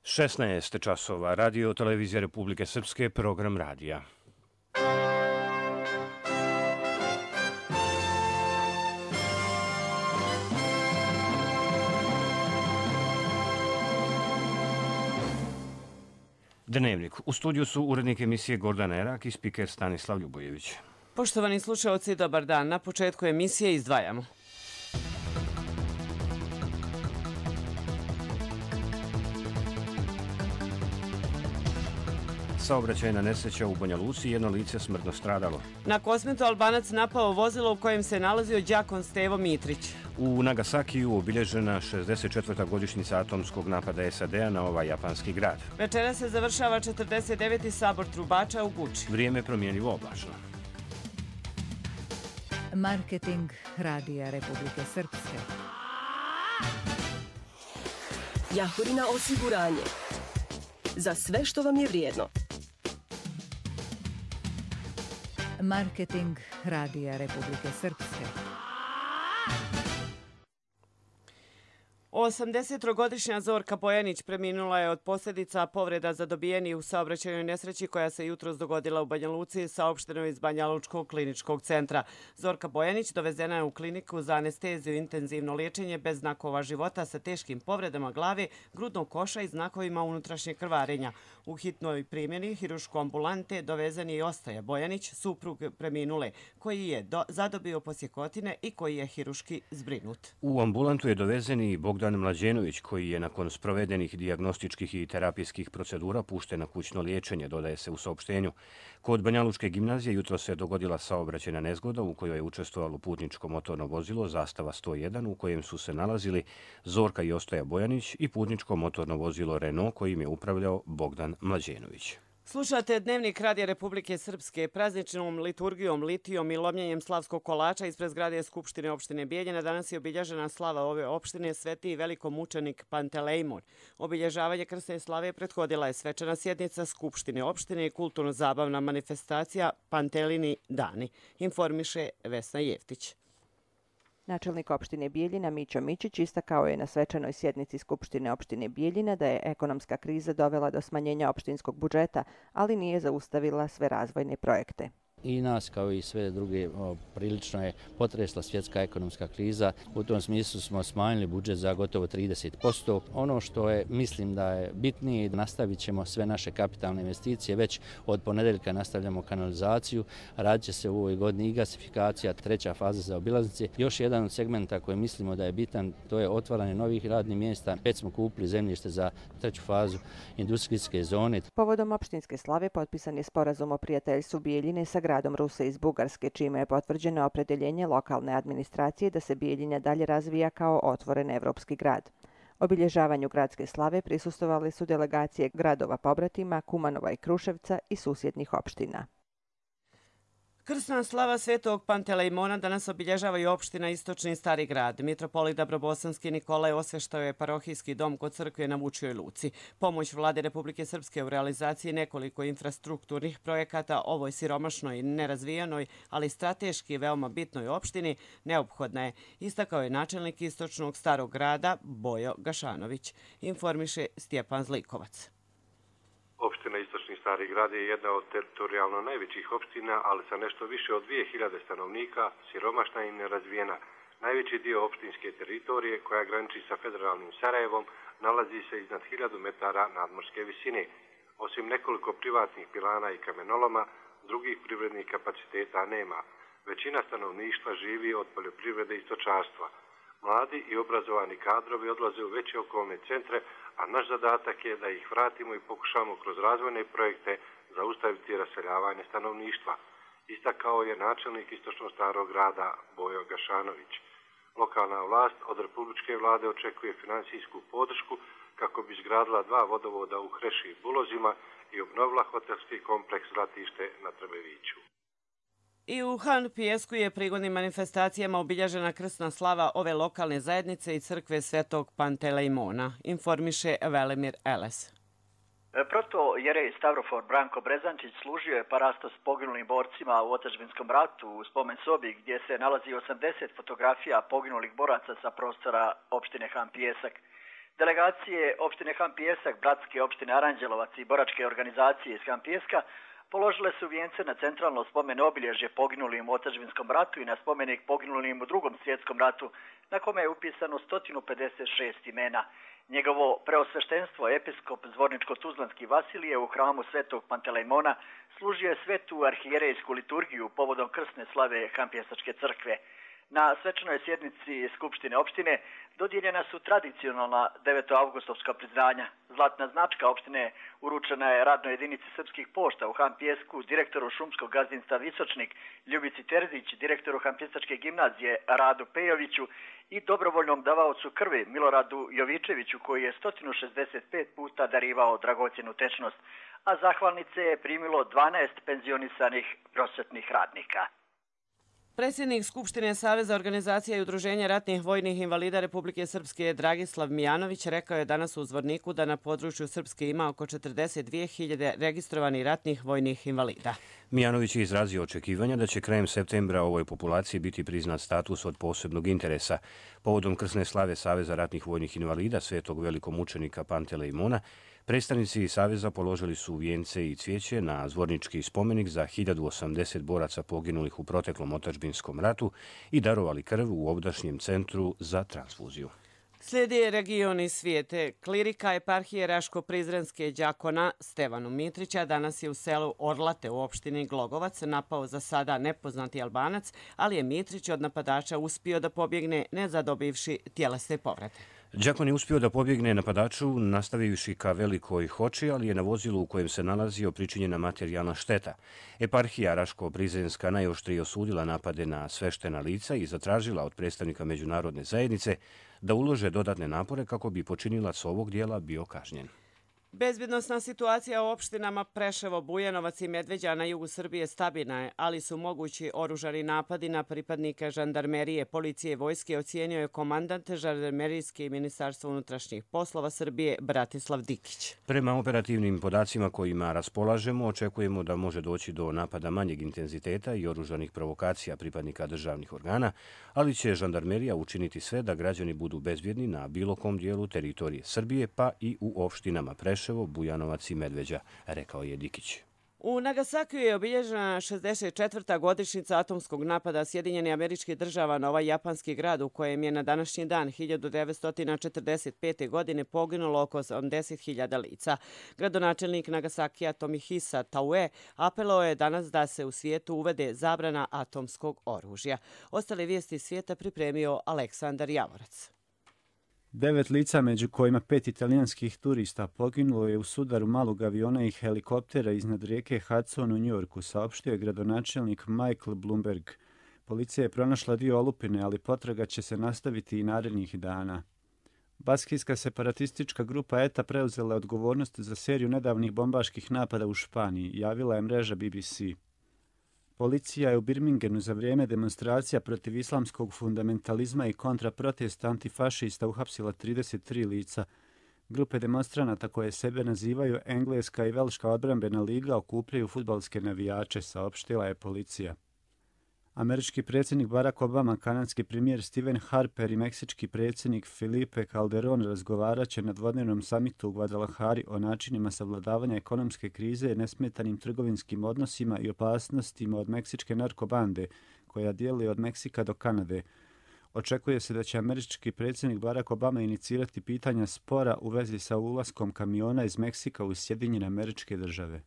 16 časova, Radio Televizija Republike Srpske, program radija. Dnevnik. U studiju su urednik emisije Gordana Erak i spiker Stanislav Ljubojević. Poštovani slušaoci, dobar dan. Na početku emisije izdvajamo. Saobraćajna nesreća u Banja Luci, jedno lice smrtno stradalo. Na Kosmetu Albanac napao vozilo u kojem se nalazio đakon Stevo Mitrić. U Nagasakiju obilježena 64. godišnjica atomskog napada SAD-a na ovaj japanski grad. Večera se završava 49. sabor trubača u Guči. Vrijeme promjenjivo oblačno. Marketing Radija Republike Srpske. Jahorina osiguranje. Za sve što vam je vrijedno. Marketing Radija Republike Srpske. 83-godišnja Zorka Bojanić preminula je od posljedica povreda zadobijeni u saobraćajnoj nesreći koja se jutros dogodila u Banja Luci, saopšteno iz Banja Lučkog kliničkog centra. Zorka Bojanić dovezena je u kliniku za anesteziju i intenzivno liječenje bez znakova života sa teškim povredama glave, grudnog koša i znakovima unutrašnjeg krvarenja. U hitnoj primjeni hiruško ambulante dovezen je i Ostoja Bojanić, suprug preminule, koji je zadobio posjekotine i koji je hiruški zbrinut. U ambulantu je dovezen i Bogdan Mlađenović, koji je nakon sprovedenih dijagnostičkih i terapijskih procedura pušten na kućno liječenje, dodaje se u saopštenju. Kod Banja Lučke gimnazije jutro se dogodila saobraćajna nezgoda u kojoj je učestvovalo putničko motorno vozilo Zastava 101 u kojem su se nalazili Zorka i Ostoja Bojanić i putničko motorno vozilo Renault kojim je upravljao Bogdan Mlađenović. Slušate Dnevnik Radija Republike Srpske. Prazničnom liturgijom, litijom i lomljenjem slavskog kolača ispred zgrade Skupštine opštine Bijeljina danas je obilježena slava ove opštine Sveti i velikomučenik Pantelejmon. Obilježavanje krsne slave prethodila je svečana sjednica Skupštine opštine i kulturno-zabavna manifestacija Pantelini dani, informiše Vesna Jeftić. Načelnik opštine Bijeljina Mićo Mićić istakao je na svečanoj sjednici Skupštine opštine Bijeljina da je ekonomska kriza dovela do smanjenja opštinskog budžeta, ali nije zaustavila sve razvojne projekte. I nas kao i sve druge prilično je potresla svjetska ekonomska kriza. U tom smislu smo smanjili budžet za gotovo 30%. Ono što je, mislim da je bitnije, nastavit ćemo sve naše kapitalne investicije. Već od ponedeljka nastavljamo kanalizaciju. Radit će se u ovoj godini i gasifikacija, 3. faza za obilaznice. Još jedan od segmenta koji mislimo da je bitan, to je otvaranje novih radnih mjesta. Već smo kupili zemljište za 3. fazu industrijske zone. Povodom opštinske slave potpisan je sporazum o prijateljstvu Bijeljine sa gradom Ruse iz Bugarske, čime je potvrđeno opredeljenje lokalne administracije da se Bijeljina dalje razvija kao otvoren evropski grad. Obilježavanju gradske slave prisustvovali su delegacije gradova pobratima, Kumanova i Kruševca i susjednih opština. Krsna slava Svetog Pantelejmona danas obilježava i opština Istočni Stari grad. Mitropolit Dabrobosanski Nikolaj osveštao je parohijski dom kod crkve na Vučjoj Luci. Pomoć Vlade Republike Srpske u realizaciji nekoliko infrastrukturnih projekata ovoj siromašnoj, nerazvijenoj, ali strateški veoma bitnoj opštini neophodna je, istakao je načelnik Istočnog Starog grada Bojo Gašanović, informiše Stjepan Zlikovac. Opština Istočni Stari grad je jedna od teritorijalno najvećih opština, ali sa nešto više od 2000 stanovnika, siromašna i nerazvijena. Najveći dio opštinske teritorije, koja graniči sa federalnim Sarajevom, nalazi se iznad 1000 metara nadmorske visine. Osim nekoliko privatnih pilana i kamenoloma, drugih privrednih kapaciteta nema. Većina stanovništva živi od poljoprivrede i stočarstva. Mladi i obrazovani kadrovi odlaze u veće okolne centre, a naš zadatak je da ih vratimo i pokušamo kroz razvojne projekte zaustaviti raseljavanje stanovništva. Istakao je načelnik Istočnog Starog grada Bojo Gašanović. Lokalna vlast od republičke vlade očekuje financijsku podršku kako bi izgradila 2 vodovoda u Hreši i Bulozima i obnovila hotelski kompleks Zlatište na Trbeviću. I u Han Pijesku je prigodnim manifestacijama obilježena krsna slava ove lokalne zajednice i crkve Svetog Pantelejmona, informiše Velimir Eles. Protojerej Stavrofor Branko Brezančić služio je parastos poginulim borcima u otadžbinskom ratu u spomen sobi gdje se nalazi 80 fotografija poginulih boraca sa prostora opštine Han Pijesak. Delegacije opštine Han Pijesak, bratske opštine Aranđelovac i boračke organizacije iz Han Pijeska položile su vijence na centralno spomen obilježje poginulim u otadžbinskom ratu i na spomenik poginulim u Drugom svjetskom ratu, na kome je upisano 156 imena. Njegovo preosveštenstvo, episkop Zvorničko-Tuzlanski Vasilije u hramu Svetog Pantelejmona služio je svetu arhijerejsku liturgiju povodom krsne slave Hanpijesačke crkve. Na svečanoj sjednici Skupštine opštine dodijeljena su tradicionalna 9. avgustovska priznanja. Zlatna značka opštine uručena je radnoj jedinici Srpskih pošta u Han Pijesku, direktoru šumskog gazdinstva Visočnik Ljubici Terzić, direktoru Hanpijesačke gimnazije Radu Pejoviću i dobrovoljnom davaocu krvi Miloradu Jovičeviću, koji je 165 puta darivao dragocjenu tečnost, a zahvalnice je primilo 12 penzionisanih prosvetnih radnika. Predsjednik Skupštine Saveza organizacija i udruženja ratnih vojnih invalida Republike Srpske Dragislav Mijanović rekao je danas u Zvorniku da na području Srpske ima oko 42.000 registrovanih ratnih vojnih invalida. Mijanović je izrazio očekivanja da će krajem septembra ovoj populaciji biti priznat status od posebnog interesa. Povodom krsne slave Saveza ratnih vojnih invalida Svetog velikomučenika Pantelejmona, predstavnici Saveza položili su vijence i cvijeće na zvornički spomenik za 1080 boraca poginulih u proteklom otadžbinskom ratu i darovali krv u ovdašnjem centru za transfuziju. Slijedi regioni svijete. Klirika eparhije Raško-Prizrenske đakona Stevanu Mitrića danas je u selu Orlate u opštini Glogovac napao za sada nepoznati Albanac, ali je Mitrić od napadača uspio da pobjegne ne zadobivši tjelesne povrede. Đakon je uspio da pobjegne napadaču nastavivši ka Velikoj Hoči, ali je na vozilu u kojem se nalazio pričinjena materijalna šteta. Eparhija Raško-Prizrenska najoštrije osudila napade na sveštena lica i zatražila od predstavnika međunarodne zajednice da ulože dodatne napore kako bi počinilac ovog dijela bio kažnjen. Bezbjednosna situacija u opštinama Preševo, Bujanovac i Medveđa na jugu Srbije stabilna je, ali su mogući oružani napadi na pripadnike žandarmerije, policije i vojske, ocijenio je komandant žandarmerijske i Ministarstva unutrašnjih poslova Srbije Bratislav Dikić. Prema operativnim podacima kojima raspolažemo, očekujemo da može doći do napada manjeg intenziteta i oružanih provokacija pripadnika državnih organa, ali će žandarmerija učiniti sve da građani budu bezbjedni na bilo kom dijelu teritorije Srbije, pa i u opštinama Preševo, Bujanovac i Medveđa, rekao je Dikić. U Nagasakiju je obilježena 64. godišnjica atomskog napada Sjedinjenih Američkih Država na ovaj japanski grad u kojem je na današnji dan 1945. godine poginulo oko 80.000 lica. Gradonačelnik Nagasakija Tomihisa Taue apelovao je danas da se u svijetu uvede zabrana atomskog oružja. Ostale vijesti svijeta pripremio Aleksandar Javorac. 9 lica, među kojima 5 italijanskih turista, poginulo je u sudaru malog aviona i helikoptera iznad rijeke Hudson u Njujorku, saopštio je gradonačelnik Michael Bloomberg. Policija je pronašla dio olupine, ali potraga će se nastaviti i narednih dana. Baskijska separatistička grupa ETA preuzela odgovornost za seriju nedavnih bombaških napada u Španiji, javila je mreža BBC. Policija je u Birmingenu za vrijeme demonstracija protiv islamskog fundamentalizma i kontraprotesta antifašista uhapsila 33 lica. Grupe demonstranata koje sebe nazivaju Engleska i Velška odbrambena liga okupljaju fudbalske navijače, saopštila je policija. Američki predsjednik Barack Obama, kanadski premijer Stephen Harper i meksički predsjednik Felipe Calderón razgovarat će na dvodnevnom samitu u Guadalajari o načinima savladavanja ekonomske krize, nesmetanim trgovinskim odnosima i opasnostima od meksičke narkobande, koja dijeli od Meksika do Kanade. Očekuje se da će američki predsjednik Barack Obama inicirati pitanja spora u vezi sa ulaskom kamiona iz Meksika u Sjedinjene Američke Države.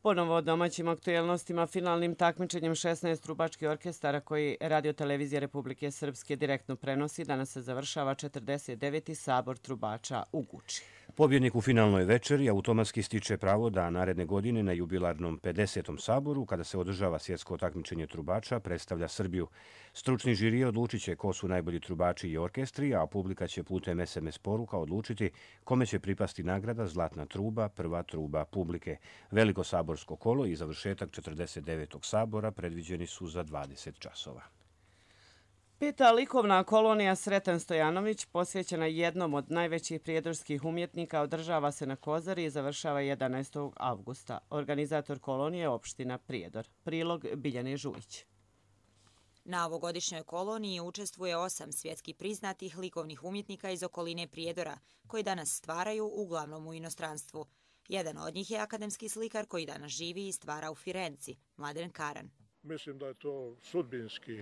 Ponovo o domaćim aktuelnostima, finalnim takmičenjem 16 trubačkih orkestara koji Radio-televizija Republike Srpske direktno prenosi, danas se završava 49. sabor trubača u Guči. Pobjednik u finalnoj večeri automatski stiče pravo da naredne godine na jubilarnom 50. saboru, kada se održava svjetsko takmičenje trubača, predstavlja Srbiju. Stručni žiri odlučit će ko su najbolji trubači i orkestri, a publika će putem SMS poruka odlučiti kome će pripasti nagrada Zlatna truba, prva truba publike. Veliko saborsko kolo i završetak 49. sabora predviđeni su za 20 časova. 5. likovna kolonija Sreten Stojanović, posvećena jednom od najvećih prijedorskih umjetnika, održava se na Kozari i završava 11. avgusta. Organizator kolonije je opština Prijedor. Prilog Biljane Žujić. Na ovogodišnjoj koloniji učestvuje 8 svjetski priznatih likovnih umjetnika iz okoline Prijedora, koji danas stvaraju uglavnom u inostranstvu. Jedan od njih je akademski slikar koji danas živi i stvara u Firenci, Mladen Karan. Mislim da je to sudbinski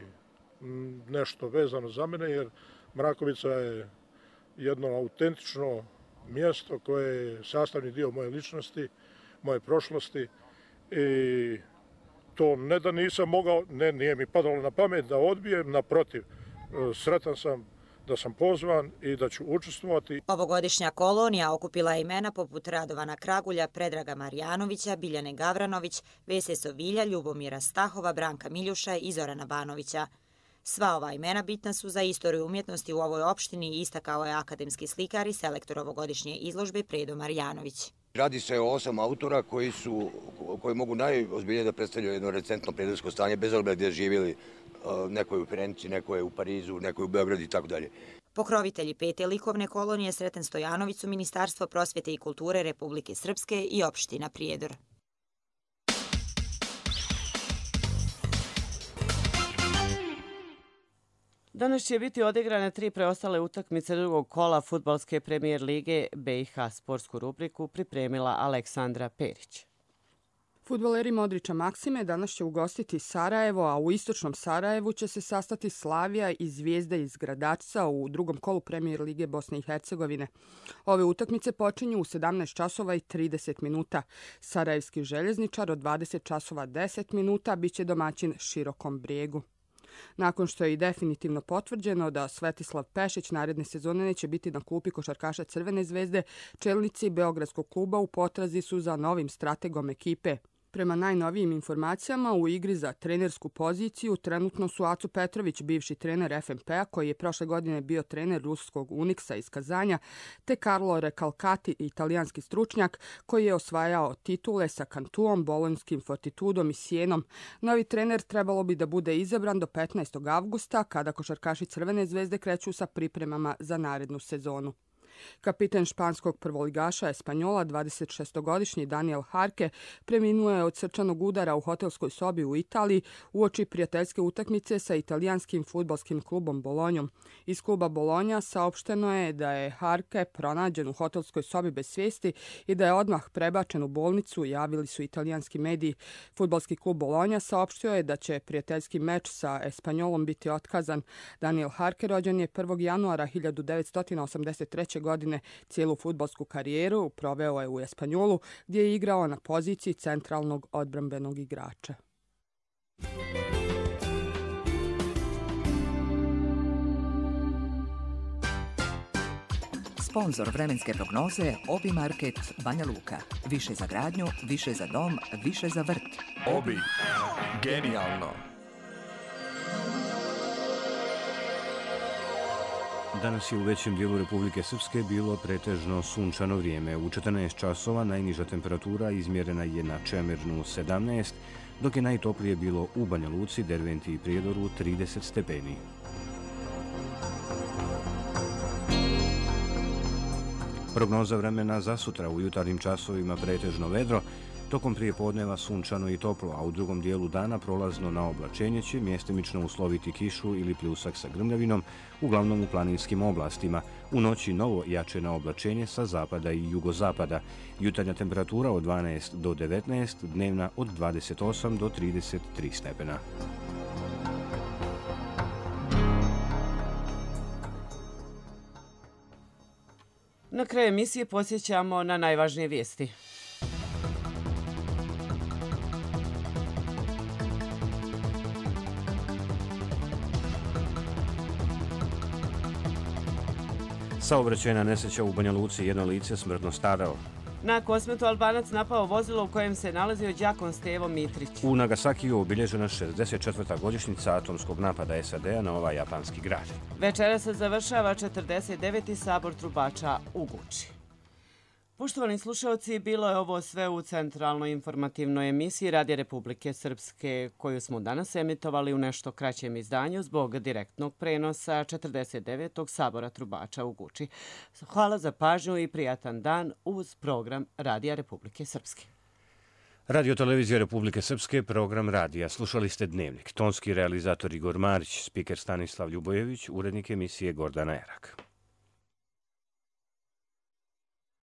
nešto vezano za mene, jer Mrakovica je jedno autentično mjesto koje je sastavni dio moje ličnosti, moje prošlosti i to ne da nisam mogao, nije mi padalo na pamet da odbijem, naprotiv, sretan sam da sam pozvan i da ću učestvovati. Ovogodišnja kolonija okupila je imena poput Radovana Kragulja, Predraga Marjanovića, Biljane Gavranović, Vese Sovilja, Ljubomira Stahova, Branka Miljuša i Zorana Banovića. Sva ova imena bitna su za istoriju umjetnosti u ovoj opštini, istakao je akademski slikar i selektor ovogodišnje izložbe Predo Marjanović. Radi se o 8 autora koji mogu najozbiljnije da predstavljaju jedno recentno prirodno stanje, bez obzira gdje živjeli, neko je u Firenci, neko je u Parizu, neko je u Beogradu i tako dalje. Pokrovitelji 5. likovne kolonije Sreten Stojanović su Ministarstvo prosvjete i kulture Republike Srpske i opština Prijedor. Danas će biti odigrane 3 preostale utakmice drugog kola fudbalske premijer lige BiH. Sportsku rubriku pripremila Aleksandra Perić. Fudbaleri Modrića Maksime danas će ugostiti Sarajevo, a u istočnom Sarajevu će se sastati Slavija i Zvijezda iz Gradačca u drugom kolu premijer lige Bosne i Hercegovine. Ove utakmice počinju u 17 časova i 30 minuta. Sarajevski željezničar od 20 časova 10 minuta biće domaćin Širokom Brijegu. Nakon što je i definitivno potvrđeno da Svetislav Pešić naredne sezone neće biti na klupi košarkaša Crvene zvezde, čelnici Beogradskog kluba u potrazi su za novim strategom ekipe. Prema najnovijim informacijama, u igri za trenersku poziciju trenutno su Aco Petrović, bivši trener FNP-a, koji je prošle godine bio trener ruskog Uniksa iz Kazanja, te Carlo Recalcati, italijanski stručnjak, koji je osvajao titule sa Cantuom, Bolonjskim Fortitudom i Sienom. Novi trener trebalo bi da bude izabran do 15. avgusta, kada košarkaši Crvene zvezde kreću sa pripremama za narednu sezonu. Kapiten španskog prvoligaša Espanjola, 26-godišnji Daniel Harke, preminuo je od srčanog udara u hotelskoj sobi u Italiji uoči prijateljske utakmice sa italijanskim fudbalskim klubom Bolonjom. Iz kluba Bolonja saopšteno je da je Harke pronađen u hotelskoj sobi bez svijesti i da je odmah prebačen u bolnicu, javili su italijanski mediji. Fudbalski klub Bolonja saopštio je da će prijateljski meč sa Espanjolom biti otkazan. Daniel Harke rođen je 1. januara 1983. godine. Cijelu fudbalsku karijeru proveo je u Espanjolu, gdje je igrao na poziciji centralnog odbrambenog igrača. Sponzor vremenske prognoze Obi Market Banja Luka. Više za gradnju, više za dom, više za vrt. Obi. Genijalno. Danas je u većem dijelu Republike Srpske bilo pretežno sunčano vrijeme. U 14 časova najniža temperatura izmjerena je na Čemernu 17, dok je najtoplije bilo u Banja Luci, Derventi i Prijedoru 30 stepeni. Prognoza vremena za sutra: u jutarnjim časovima pretežno vedro, tokom prijepodneva sunčano i toplo, a u drugom dijelu dana prolazno na oblačenje će mjestimično usloviti kišu ili pljusak sa grmljavinom, uglavnom u planinskim oblastima. U noći novo jače na oblačenje sa zapada i jugozapada. Jutarnja temperatura od 12 do 19, dnevna od 28 do 33 stepena. Na kraju emisije posjećamo na najvažnije vijesti. Saobraćajna nesreća u Banja Luci, jedno lice smrtno stradalo. Na Kosmetu Albanac napao vozilo u kojem se nalazio đakon Stevo Mitrić. U Nagasakiju obilježena 64. godišnjica atomskog napada SAD-a na ovaj japanski grad. Večera se završava 49. sabor trubača u Guči. Poštovani slušalci, bilo je ovo sve u centralnoj informativnoj emisiji Radija Republike Srpske, koju smo danas emitovali u nešto kraćem izdanju zbog direktnog prenosa 49. sabora trubača u Guči. Hvala za pažnju i prijatan dan uz program Radija Republike Srpske. Radio Televizija Republike Srpske, program radija. Slušali ste Dnevnik. Tonski realizator Igor Marić, spiker Stanislav Ljubojević, urednik emisije Gordana Erak.